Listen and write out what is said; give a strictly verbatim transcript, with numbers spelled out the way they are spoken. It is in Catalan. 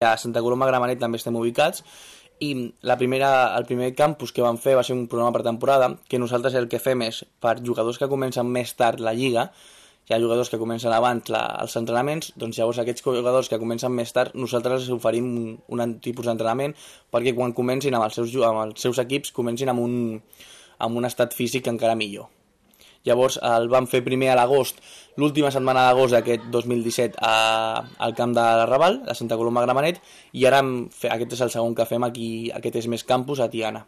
A Santa Coloma de Gramenet també estem ubicats i la primera, el primer campus que vam fer va ser un programa per temporada, que nosaltres el que fem és, per jugadors que comencen més tard la lliga, hi ha jugadors que comencen abans la, els entrenaments, doncs llavors aquests jugadors que comencen més tard nosaltres els oferim un, un tipus d'entrenament perquè quan comencin amb els seus, amb els seus equips comencin amb un, amb un estat físic encara millor. Llavors el vam fer primer a l'agost, l'última setmana d'agost d'aquest dos mil disset a, al camp de la Raval, a Santa Coloma de Gramenet, i ara hem, aquest és el segon que fem aquí, aquest és més campus a Tiana.